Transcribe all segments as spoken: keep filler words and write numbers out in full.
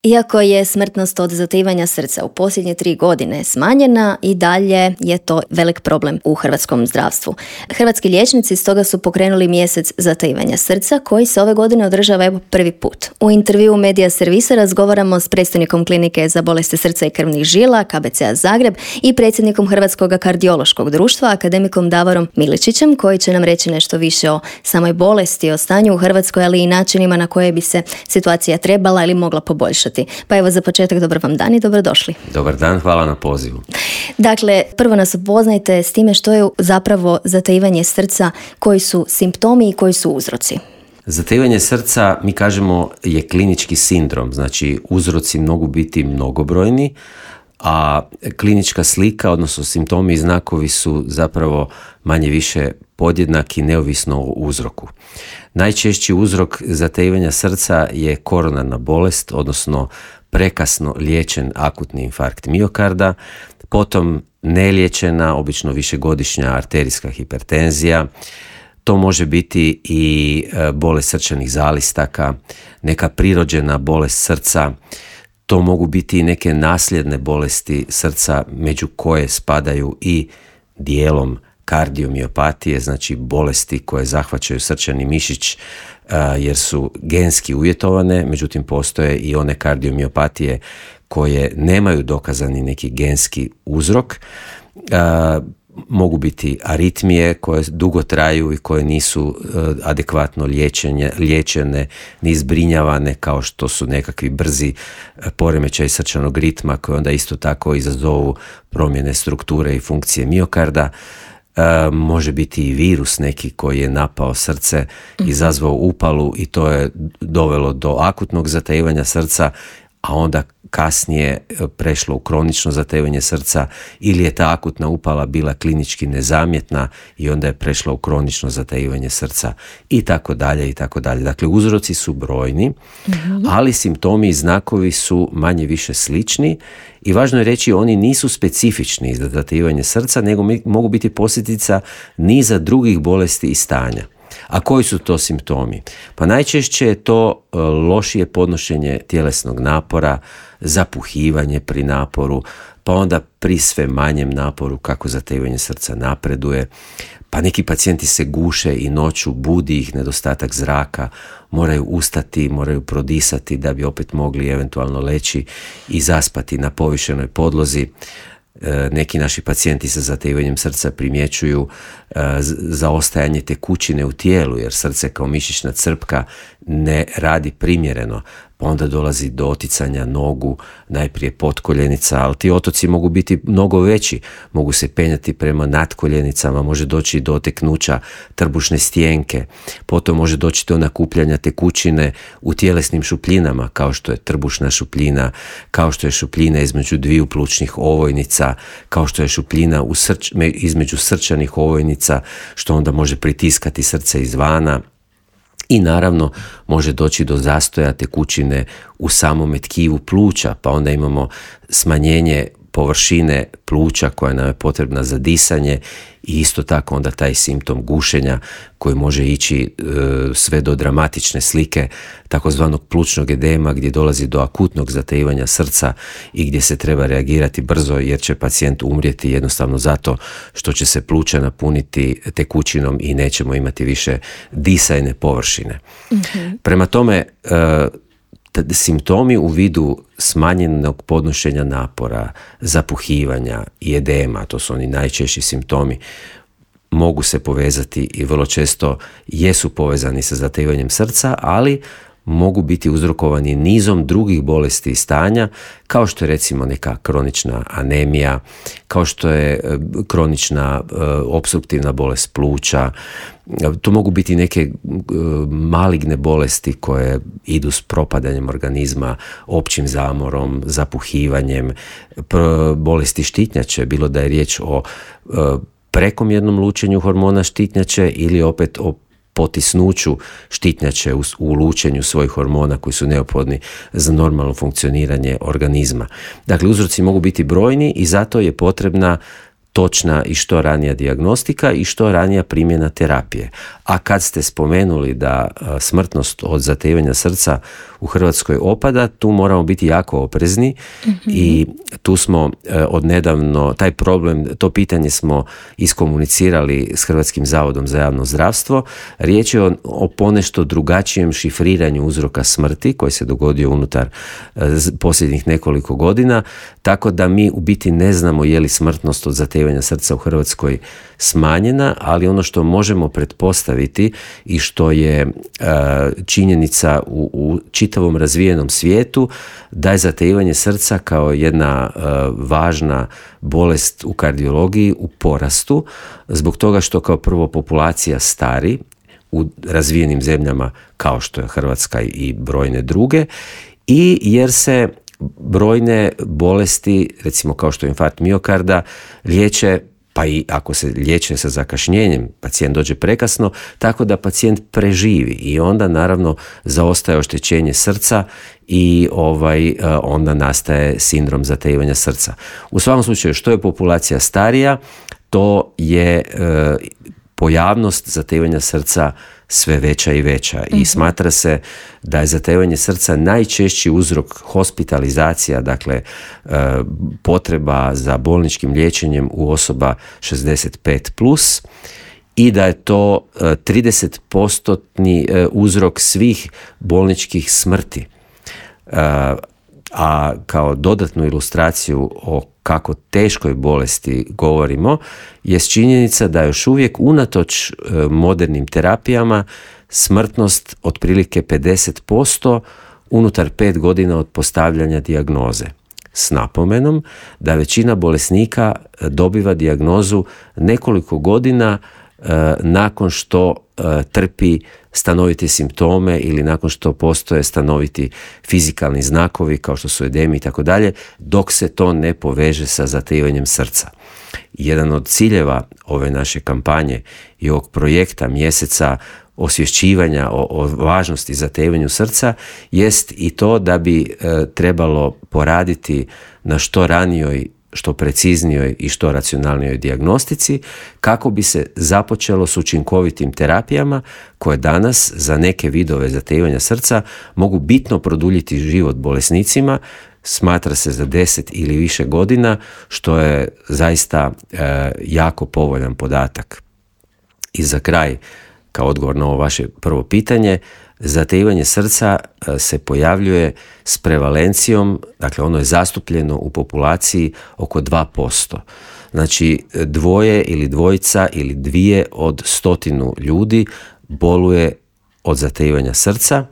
Iako je smrtnost od zatajivanja srca u posljednje tri godine smanjena, i dalje je to velik problem u hrvatskom zdravstvu. Hrvatski liječnici stoga su pokrenuli mjesec zatajivanja srca koji se ove godine održava evo prvi put. U intervjuu Medija Servisa razgovaramo s predstojnikom klinike za bolesti srca i krvnih žila K B C-a Zagreb i predsjednikom Hrvatskog kardiološkog društva akademikom Davorom Miličićem, koji će nam reći nešto više o samoj bolesti, o stanju u Hrvatskoj, ali i načinima na koje bi se situacija trebala ili mogla poboljšati. Pa evo za početak dobar vam dan i dobrodošli. Dobar dan, hvala na pozivu. Dakle, prvo nas upoznajte s time što je zapravo zatajivanje srca, koji su simptomi i koji su uzroci. Zatajivanje srca, mi kažemo, je klinički sindrom, znači uzroci mogu biti mnogobrojni, a klinička slika, odnosno simptomi i znakovi su zapravo manje više podjednaki neovisno o uzroku. Najčešći uzrok zatajivanja srca je koronarna bolest, odnosno prekasno liječen akutni infarkt miokarda, potom neliječena, obično višegodišnja arterijska hipertenzija. To može biti i bolest srčanih zalistaka, neka prirođena bolest srca. To mogu biti i neke nasljedne bolesti srca, među koje spadaju i dijelom kardiomiopatije, znači bolesti koje zahvaćaju srčani mišić jer su genski uvjetovane, međutim postoje i one kardiomiopatije koje nemaju dokazani neki genski uzrok. Mogu biti aritmije koje dugo traju i koje nisu adekvatno liječenje, liječene ni zbrinjavane, kao što su nekakvi brzi poremećaj srčanog ritma koji onda isto tako izazovu promjene strukture i funkcije miokarda. E, može biti i virus neki koji je napao srce, izazvao upalu i to je dovelo do akutnog zatajivanja srca, a onda kasnije prešlo u kronično zatajivanje srca, ili je ta akutna upala bila klinički nezamjetna i onda je prešla u kronično zatajivanje srca i tako dalje i tako dalje. Dakle, uzroci su brojni, mm-hmm. ali simptomi i znakovi su manje više slični i važno je reći, oni nisu specifični za zatajivanje srca, nego mogu biti posljedica niza drugih bolesti i stanja. A koji su to simptomi? Pa najčešće je to lošije podnošenje tjelesnog napora, zapuhivanje pri naporu, pa onda pri sve manjem naporu kako zatajivanje srca napreduje, pa neki pacijenti se guše i noću, budi ih nedostatak zraka, moraju ustati, moraju prodisati da bi opet mogli eventualno leći i zaspati na povišenoj podlozi. Neki naši pacijenti sa zatajivanjem srca primjećuju zaostajanje tekućine u tijelu, jer srce kao mišićna crpka ne radi primjereno, pa onda dolazi do oticanja nogu, najprije potkoljenica, ali ti otoci mogu biti mnogo veći, mogu se penjati prema natkoljenicama, može doći do oteknuća trbušne stijenke, potom može doći do nakupljanja tekućine u tjelesnim šupljinama, kao što je trbušna šupljina, kao što je šupljina između dviju plućnih ovojnica, kao što je šupljina u srč, između srčanih ovojnica, što onda može pritiskati srce izvana. I naravno može doći do zastoja tekućine u samome tkivu pluća, pa onda imamo smanjenje površine pluća koja nam je potrebna za disanje i isto tako onda taj simptom gušenja koji može ići e, sve do dramatične slike takozvanog plućnog edema, gdje dolazi do akutnog zatajivanja srca i gdje se treba reagirati brzo, jer će pacijent umrijeti jednostavno zato što će se pluća napuniti tekućinom i nećemo imati više disajne površine. Mm-hmm. Prema tome, e, simptomi u vidu smanjenog podnošenja napora, zapuhivanja i edema, to su oni najčešći simptomi, mogu se povezati i vrlo često jesu povezani sa zatajivanjem srca, ali mogu biti uzrokovani nizom drugih bolesti i stanja, kao što je recimo neka kronična anemija, kao što je kronična uh, opstruktivna bolest pluća. To mogu biti neke uh, maligne bolesti koje idu s propadanjem organizma, općim zamorom, zapuhivanjem, pr- bolesti štitnjače, bilo da je riječ o uh, prekomjernom lučenju hormona štitnjače ili opet o potisnuću štitnjače u, u lučenju svojih hormona koji su neophodni za normalno funkcioniranje organizma. Dakle, uzroci mogu biti brojni i zato je potrebna točna i što ranija dijagnostika i što ranija primjena terapije. A kad ste spomenuli da smrtnost od zatejevanja srca u Hrvatskoj opada, tu moramo biti jako oprezni mm-hmm. i tu smo odnedavno, taj problem, to pitanje smo iskomunicirali s Hrvatskim zavodom za javno zdravstvo. Riječ je o, o ponešto drugačijem šifriranju uzroka smrti koji se dogodio unutar posljednjih nekoliko godina, tako da mi u biti ne znamo je li smrtnost od zatejevanja srca u Hrvatskoj smanjena, ali ono što možemo pretpostaviti i što je uh, činjenica u, u čitavom razvijenom svijetu, da je zatejevanje srca kao jedna uh, važna bolest u kardiologiji u porastu, zbog toga što kao prvo populacija stari u razvijenim zemljama kao što je Hrvatska i brojne druge, i jer se brojne bolesti, recimo kao što je infarkt miokarda, liječe, pa i ako se liječe sa zakašnjenjem, pacijent dođe prekasno, tako da pacijent preživi i onda naravno zaostaje oštećenje srca i ovaj, onda nastaje sindrom zatejevanja srca. U svakom slučaju, što je populacija starija, to je e, pojavnost zatejevanja srca sve veća i veća i smatra se da je zatejevanje srca najčešći uzrok hospitalizacija, dakle potreba za bolničkim liječenjem u osoba šezdeset pet plus, i da je to trideset postotni uzrok svih bolničkih smrti. A kao dodatnu ilustraciju o kako teškoj bolesti govorimo je činjenica da još uvijek unatoč modernim terapijama smrtnost otprilike pedeset posto unutar pet godina od postavljanja dijagnoze. S napomenom da većina bolesnika dobiva dijagnozu nekoliko godina nakon što trpi stanovite simptome ili nakon što postoje stanoviti fizikalni znakovi kao što su edemi i tako dalje, dok se to ne poveže sa zatejivanjem srca. Jedan od ciljeva ove naše kampanje i ovog projekta mjeseca osvješćivanja o, o važnosti zatejivanju srca jest i to da bi e, trebalo poraditi na što ranijoj, što preciznijoj i što racionalnijoj dijagnostici kako bi se započelo s učinkovitim terapijama koje danas za neke vidove zatejivanja srca mogu bitno produljiti život bolesnicima, smatra se za deset ili više godina, što je zaista e, jako povoljan podatak. I za kraj, kao odgovor na ovo vaše prvo pitanje, zatejivanje srca se pojavljuje s prevalencijom, dakle ono je zastupljeno u populaciji oko dva posto. Znači dvoje ili dvojica ili dvije od stotinu ljudi boluje od zatejivanja srca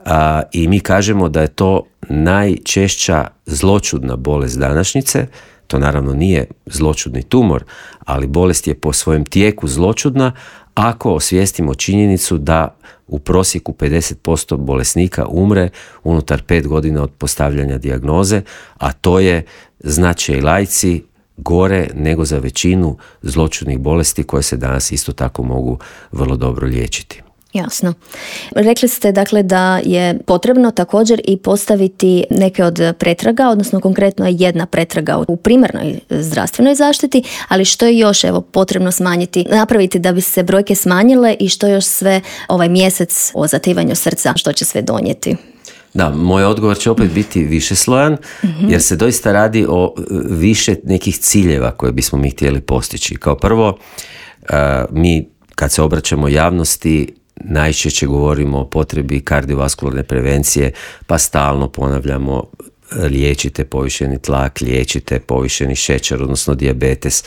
a, i mi kažemo da je to najčešća zloćudna bolest današnjice. To naravno nije zloćudni tumor, ali bolest je po svojem tijeku zloćudna ako osvijestimo činjenicu da u prosjeku pedeset posto bolesnika umre unutar pet godina od postavljanja dijagnoze, a to je, znače i laici, gore nego za većinu zloćudnih bolesti koje se danas isto tako mogu vrlo dobro liječiti. Jasno. Rekli ste dakle da je potrebno također i postaviti neke od pretraga, odnosno konkretno je jedna pretraga u primarnoj zdravstvenoj zaštiti, ali što je još evo potrebno smanjiti, napraviti da bi se brojke smanjile i što još sve ovaj mjesec o zativanju srca, što će sve donijeti? Da, moj odgovor će opet biti višeslojan, mm-hmm. jer se doista radi o više nekih ciljeva koje bismo mi htjeli postići. Kao prvo, mi kad se obraćamo javnosti najčešće govorimo o potrebi kardiovaskularne prevencije, pa stalno ponavljamo liječite povišeni tlak, liječite povišeni šećer, odnosno dijabetes,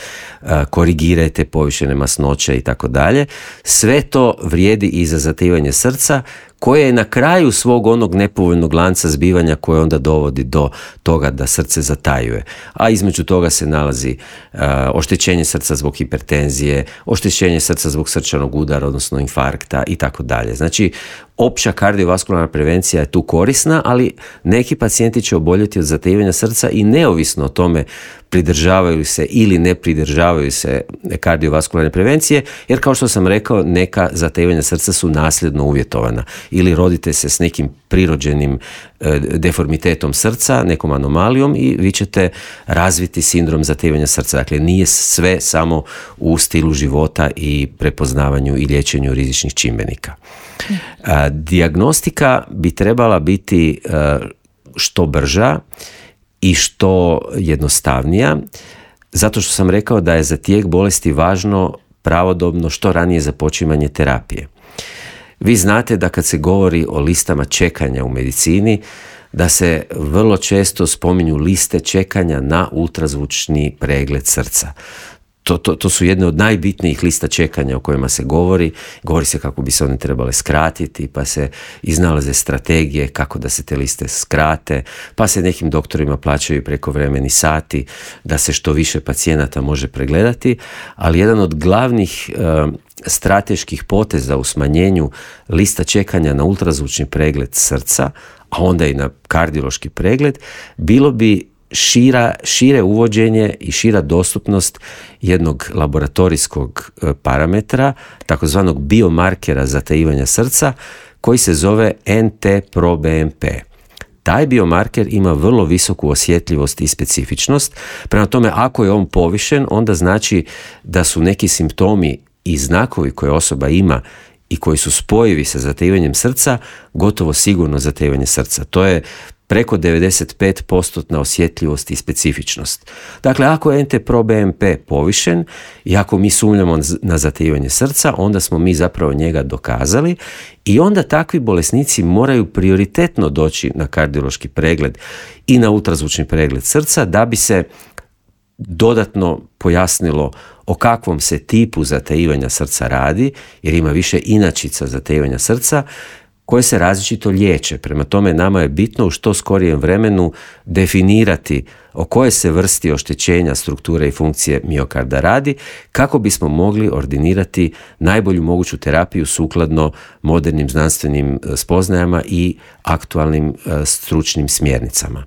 korigirajte povišene masnoće i tako dalje. Sve to vrijedi i za zatejivanje srca, koje je na kraju svog onog nepovoljnog lanca zbivanja koje onda dovodi do toga da srce zatajuje. A između toga se nalazi uh, oštećenje srca zbog hipertenzije, oštećenje srca zbog srčanog udara, odnosno infarkta i tako dalje. Znači, opća kardiovaskularna prevencija je tu korisna, ali neki pacijenti će oboljeti od zatejivanja srca i neovisno o tome pridržavaju se ili ne pridržavaju se kardiovaskularne prevencije, jer kao što sam rekao, neka zatejivanja srca su nasljedno uvjetovana. ili rodite se s nekim prirođenim e, deformitetom srca, nekom anomalijom i vi ćete razviti sindrom zatevanja srca. Dakle, nije sve samo u stilu života i prepoznavanju i liječenju rizičnih čimbenika. A, dijagnostika bi trebala biti a, što brža i što jednostavnija, zato što sam rekao da je za tijek bolesti važno pravodobno što ranije započimanje terapije. Vi znate da kad se govori o listama čekanja u medicini, da se vrlo često spominju liste čekanja na ultrazvučni pregled srca. To, to, to su jedne od najbitnijih lista čekanja o kojima se govori. Govori se kako bi se one trebale skratiti, pa se iznalaze strategije kako da se te liste skrate, pa se nekim doktorima plaćaju prekovremeni sati da se što više pacijenata može pregledati, ali jedan od glavnih e, strateških poteza u smanjenju lista čekanja na ultrazvučni pregled srca, a onda i na kardiološki pregled, bilo bi Šira, šire uvođenje i šira dostupnost jednog laboratorijskog parametra, takozvanog biomarkera zatajivanja srca, koji se zove en te pro be em pe. Taj biomarker ima vrlo visoku osjetljivost i specifičnost, prema tome ako je on povišen, onda znači da su neki simptomi i znakovi koje osoba ima i koji su spojivi sa zatajivanjem srca, gotovo sigurno zatajivanje srca. To je preko devedeset pet posto osjetljivost i specifičnost. Dakle, ako je en te pro be em pe povišen i ako mi sumnjamo na zatajivanje srca, onda smo mi zapravo njega dokazali i onda takvi bolesnici moraju prioritetno doći na kardiološki pregled i na ultrazvučni pregled srca da bi se dodatno pojasnilo o kakvom se tipu zatajivanja srca radi, jer ima više inačica zatajivanja srca koje se različito liječe. Prema tome, nama je bitno u što skorijem vremenu definirati o kojoj se vrsti oštećenja strukture i funkcije miokarda radi, kako bismo mogli ordinirati najbolju moguću terapiju sukladno modernim znanstvenim spoznajama i aktualnim stručnim smjernicama.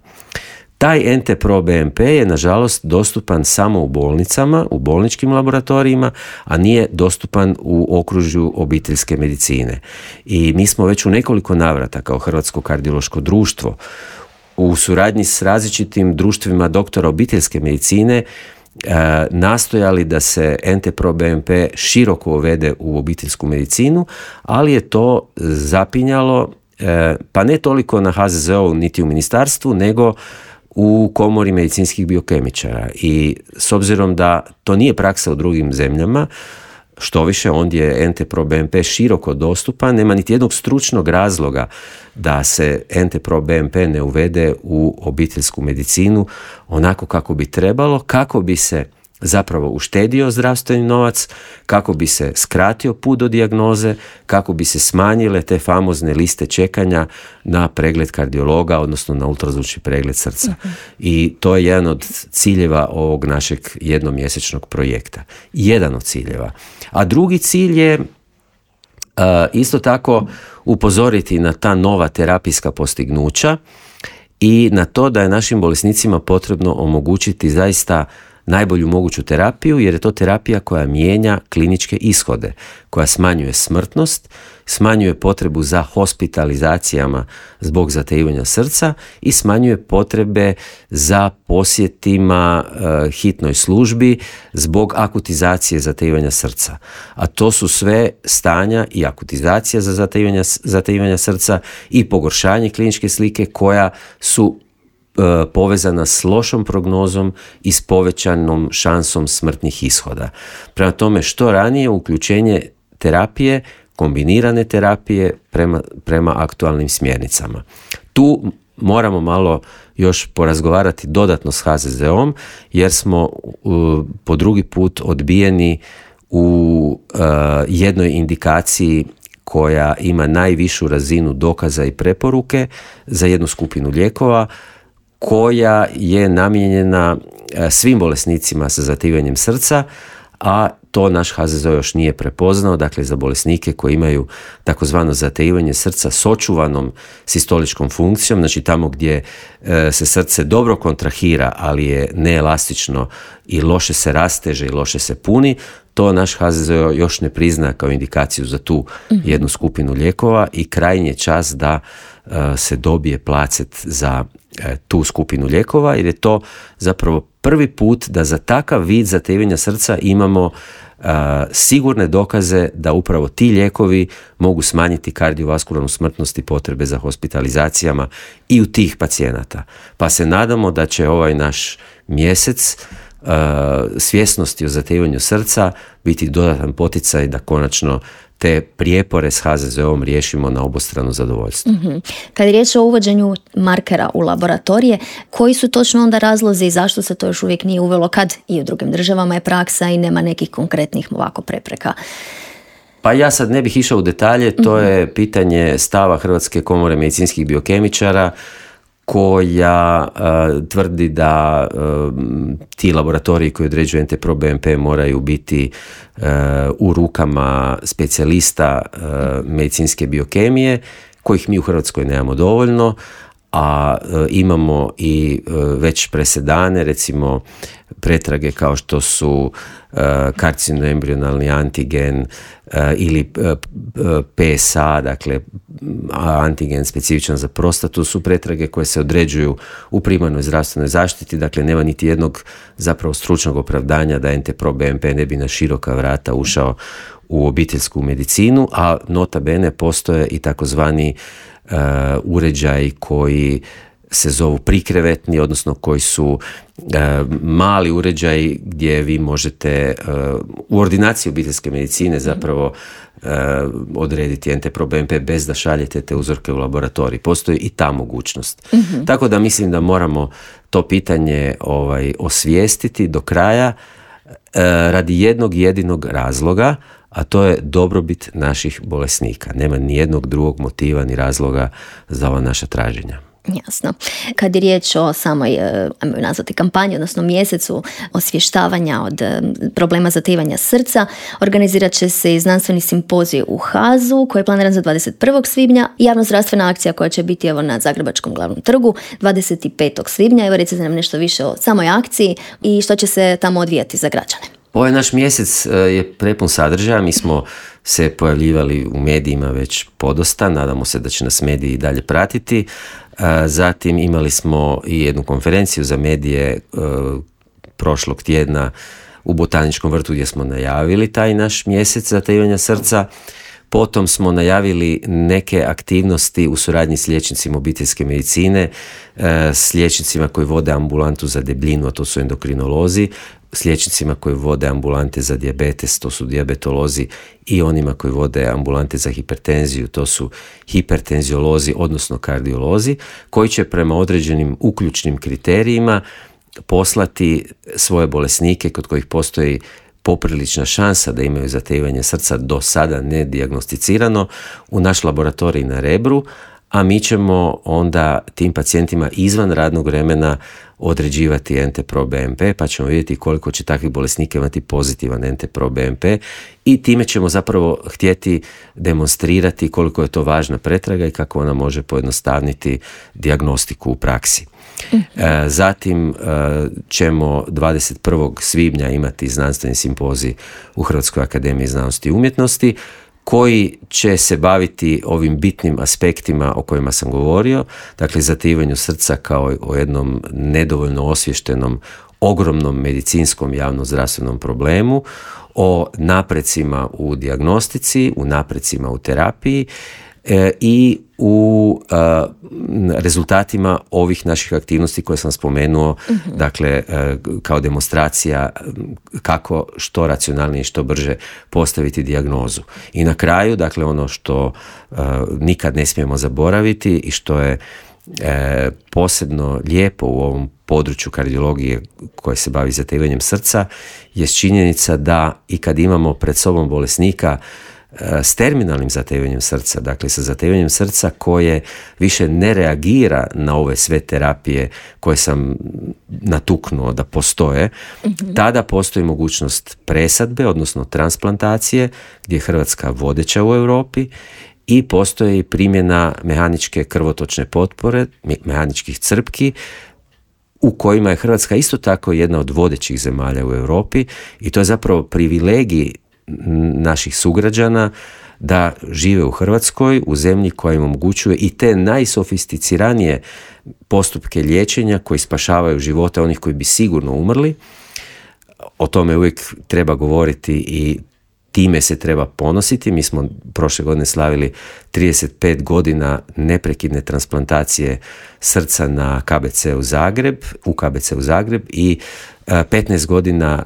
Taj en te pro be em pe je nažalost dostupan samo u bolnicama, u bolničkim laboratorijima, a nije dostupan u okružju obiteljske medicine. I mi smo već u nekoliko navrata kao Hrvatsko kardiološko društvo u suradnji s različitim društvima doktora obiteljske medicine e, nastojali da se en te pro be em pe široko uvede u obiteljsku medicinu, ali je to zapinjalo, e, pa ne toliko na ha ze ze o niti u ministarstvu, nego u komori medicinskih biokemičara. I s obzirom da to nije praksa u drugim zemljama, što više ondje je en te pro be em pe široko dostupan, nema niti jednog stručnog razloga da se en te pro be em pe ne uvede u obiteljsku medicinu onako kako bi trebalo, kako bi se zapravo uštedio zdravstveni novac, kako bi se skratio put do dijagnoze, kako bi se smanjile te famozne liste čekanja na pregled kardiologa, odnosno na ultrazvučni pregled srca. Uh-huh. I to je jedan od ciljeva ovog našeg jednomjesečnog projekta. Jedan od ciljeva. A drugi cilj je uh, isto tako upozoriti na ta nova terapijska postignuća i na to da je našim bolesnicima potrebno omogućiti zaista najbolju moguću terapiju, jer je to terapija koja mijenja kliničke ishode, koja smanjuje smrtnost, smanjuje potrebu za hospitalizacijama zbog zatajivanja srca i smanjuje potrebe za posjetima e, hitnoj službi zbog akutizacije zatajivanja srca. A to su sve stanja i akutizacija za zatajivanja, zatajivanja srca i pogoršanje kliničke slike koja su povezana s lošom prognozom i s povećanom šansom smrtnih ishoda. Prema tome, što ranije uključenje terapije, kombinirane terapije prema, prema aktualnim smjernicama. Tu moramo malo još porazgovarati dodatno s ha ze ze om, jer smo uh, po drugi put odbijeni u uh, jednoj indikaciji koja ima najvišu razinu dokaza i preporuke za jednu skupinu lijekova, koja je namijenjena svim bolesnicima sa zatajivanjem srca, a to naš ha ze ze o još nije prepoznao, dakle za bolesnike koji imaju takozvano zatajivanje srca s očuvanom sistoličkom funkcijom, znači tamo gdje e, se srce dobro kontrahira, ali je neelastično i loše se rasteže i loše se puni, to naš H Z Z O još ne prizna kao indikaciju za tu jednu skupinu lijekova i krajnji je čas da uh, se dobije placet za uh, tu skupinu lijekova, jer je to zapravo prvi put da za takav vid zatevanja srca imamo uh, sigurne dokaze da upravo ti lijekovi mogu smanjiti kardiovaskularnu smrtnost i potrebe za hospitalizacijama i u tih pacijenata. Pa se nadamo da će ovaj naš mjesec Uh, svjesnosti o zatevanju srca biti dodatan poticaj da konačno te prijepore s H Z Z O-om riješimo na obostrano zadovoljstvo. Mm-hmm. Kad je riječ o uvođenju markera u laboratorije, koji su točno onda razlozi i zašto se to još uvijek nije uvelo kad i u drugim državama je praksa i nema nekih konkretnih ovako prepreka? Pa ja sad ne bih išao u detalje, to mm-hmm. je pitanje stava Hrvatske komore medicinskih biokemičara koja uh, tvrdi da uh, ti laboratoriji koji određuju N T pro B M P moraju biti uh, u rukama specijalista uh, medicinske biokemije, kojih mi u Hrvatskoj nemamo dovoljno, a uh, imamo i uh, već presedane, recimo pretrage kao što su uh, karcinoembrionalni antigen uh, ili uh, P S A, dakle antigen specifičan za prostatu, su pretrage koje se određuju u primarnoj zdravstvenoj zaštiti, dakle nema niti jednog zapravo stručnog opravdanja da N T pro B M P ne bi na široka vrata ušao u obiteljsku medicinu, a nota bene postoje i takozvani uh, uređaji koji se zovu prikrevetni, odnosno koji su e, mali uređaji gdje vi možete e, u ordinaciji obiteljske medicine zapravo e, odrediti N T pro B M P bez da šaljete te uzorke u laboratorij. Postoji i ta mogućnost. Mm-hmm. Tako da mislim da moramo to pitanje ovaj, osvijestiti do kraja e, radi jednog jedinog razloga, a to je dobrobit naših bolesnika. Nema ni jednog drugog motiva ni razloga za ova naša traženja. Jasno. Kad je riječ o samoj, ajmo nazvati kampanji, odnosno mjesecu osvještavanja od problema zatevanja srca, organizirat će se i znanstveni simpozij u Hazu koji je planiran za dvadeset prvog svibnja i javnozdravstvena akcija koja će biti evo na Zagrebačkom glavnom trgu dvadeset petog svibnja. Evo recite nam nešto više o samoj akciji i što će se tamo odvijati za građane. Ovaj naš mjesec je prepun sadržaja, mi smo se pojavljivali u medijima već podosta, nadamo se da će nas mediji i dalje pratiti. Zatim imali smo i jednu konferenciju za medije prošlog tjedna u Botaničkom vrtu gdje smo najavili taj naš mjesec zatevanja srca. Potom smo najavili neke aktivnosti u suradnji s liječnicima obiteljske medicine, s liječnicima koji vode ambulantu za debljinu, a to su endokrinolozi, s liječnicima koji vode ambulante za dijabetes, to su dijabetolozi, i onima koji vode ambulante za hipertenziju, to su hipertenziolozi, odnosno kardiolozi, koji će prema određenim uključnim kriterijima poslati svoje bolesnike kod kojih postoji poprilična šansa da imaju zatevanje srca do sada nedijagnosticirano u naš laboratorij na Rebru, a mi ćemo onda tim pacijentima izvan radnog vremena određivati N T pro B M P, pa ćemo vidjeti koliko će takvih bolesnika imati pozitivan N T pro B M P i time ćemo zapravo htjeti demonstrirati koliko je to važna pretraga i kako ona može pojednostavniti dijagnostiku u praksi. E, zatim e, ćemo dvadeset prvog svibnja imati znanstveni simpozij u Hrvatskoj akademiji znanosti i umjetnosti koji će se baviti ovim bitnim aspektima o kojima sam govorio, dakle zatevanju srca kao o jednom nedovoljno osviještenom, ogromnom medicinskom javnozdravstvenom problemu, o naprecima u dijagnostici, u naprecima u terapiji e, i u a, rezultatima ovih naših aktivnosti koje sam spomenuo, mm-hmm. dakle a, kao demonstracija kako što racionalnije i što brže postaviti dijagnozu. I na kraju, dakle ono što a, nikad ne smijemo zaboraviti i što je a, posebno lijepo u ovom području kardiologije koje se bavi zatevanjem srca, je činjenica da i kad imamo pred sobom bolesnika s terminalnim zatevanjem srca, dakle sa zatevanjem srca koje više ne reagira na ove sve terapije koje sam natuknuo da postoje, mm-hmm. tada postoji mogućnost presadbe, odnosno transplantacije, gdje je Hrvatska vodeća u Europi, i postoji primjena mehaničke krvotočne potpore, mehaničkih crpki, u kojima je Hrvatska isto tako jedna od vodećih zemalja u Europi i to je zapravo privilegij naših sugrađana da žive u Hrvatskoj, u zemlji koja im omogućuje i te najsofisticiranije postupke liječenja koji spašavaju živote onih koji bi sigurno umrli. O tome uvijek treba govoriti i time se treba ponositi. Mi smo prošle godine slavili trideset pet godina neprekidne transplantacije srca na K B C u Zagreb, u K B C u Zagreb i petnaest godina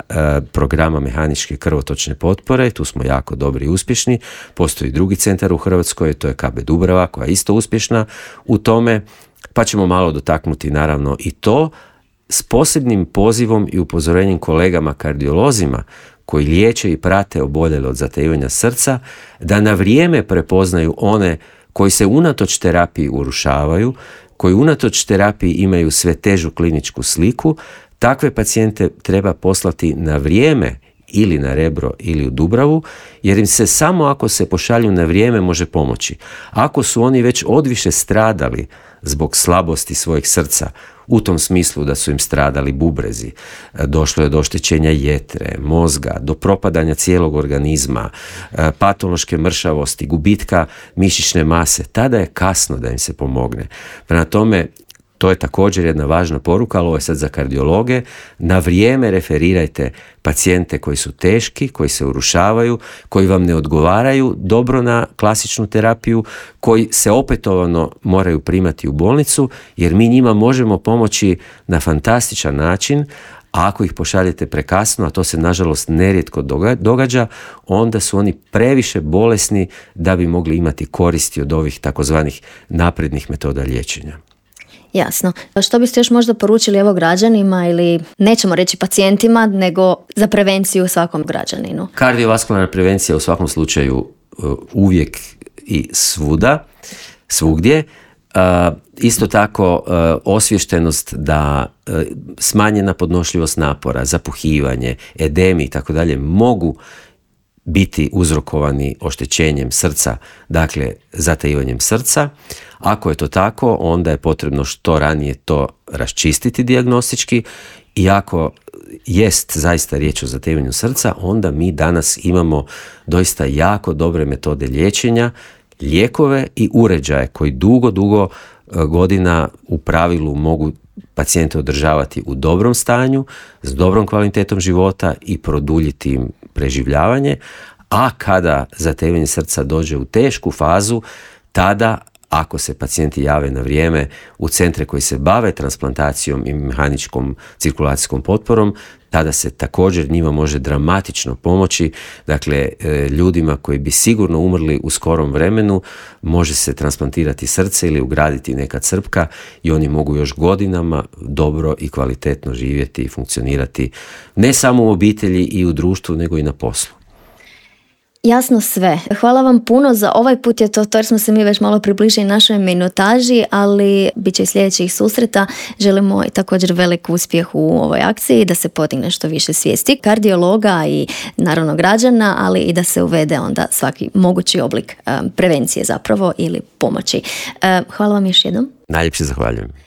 programa mehaničke krvotočne potpore. Tu smo jako dobri i uspješni. Postoji drugi centar u Hrvatskoj, to je K B Dubrava koja je isto uspješna u tome. Pa ćemo malo dotaknuti naravno i to s posebnim pozivom i upozorenjem kolegama kardiolozima koji liječe i prate oboljele od zatajivanja srca, da na vrijeme prepoznaju one koji se unatoč terapiji urušavaju, koji unatoč terapiji imaju sve težu kliničku sliku. Takve pacijente treba poslati na vrijeme ili na Rebro ili u Dubravu, jer im se samo ako se pošalju na vrijeme može pomoći. Ako su oni već odviše stradali zbog slabosti svojeg srca, u tom smislu da su im stradali bubrezi, došlo je do oštećenja jetre, mozga, do propadanja cijelog organizma, patološke mršavosti, gubitka mišićne mase, tada je kasno da im se pomogne. Prema tome, to je također jedna važna poruka, ali ovo je sad za kardiologe. Na vrijeme referirajte pacijente koji su teški, koji se urušavaju, koji vam ne odgovaraju dobro na klasičnu terapiju, koji se opetovano moraju primati u bolnicu, jer mi njima možemo pomoći na fantastičan način, a ako ih pošaljete prekasno, a to se nažalost nerijetko događa, onda su oni previše bolesni da bi mogli imati koristi od ovih takozvanih naprednih metoda liječenja. Jasno. Što biste još možda poručili evo građanima ili nećemo reći pacijentima, nego za prevenciju svakom građaninu? Kardiovaskularna prevencija u svakom slučaju uvijek i svuda, svugdje. Isto tako osviještenost da smanjena podnošljivost napora, zapuhivanje, edemi i tako dalje mogu biti uzrokovani oštećenjem srca, dakle zatajivanjem srca. Ako je to tako, onda je potrebno što ranije to raščistiti dijagnostički i ako jest zaista riječ o zatajivanju srca, onda mi danas imamo doista jako dobre metode liječenja, lijekove i uređaje koji dugo, dugo godina u pravilu mogu pacijente održavati u dobrom stanju, s dobrom kvalitetom života i produljiti im preživljavanje, a kada zatajivanje srca dođe u tešku fazu, tada ako se pacijenti jave na vrijeme u centre koji se bave transplantacijom i mehaničkom cirkulacijskom potporom, tada se također njima može dramatično pomoći. Dakle, ljudima koji bi sigurno umrli u skorom vremenu može se transplantirati srce ili ugraditi neka crpka i oni mogu još godinama dobro i kvalitetno živjeti i funkcionirati ne samo u obitelji i u društvu, nego i na poslu. Jasno sve. Hvala vam puno. Za ovaj put je to, to jer smo se mi već malo približili našoj minutaži, ali bit će i sljedećih susreta. Želimo i također velik uspjeh u ovoj akciji, da se podigne što više svijesti kardiologa i naravno građana, ali i da se uvede onda svaki mogući oblik um, prevencije zapravo ili pomoći. Uh, hvala vam još jednom. Najljepše zahvaljujem.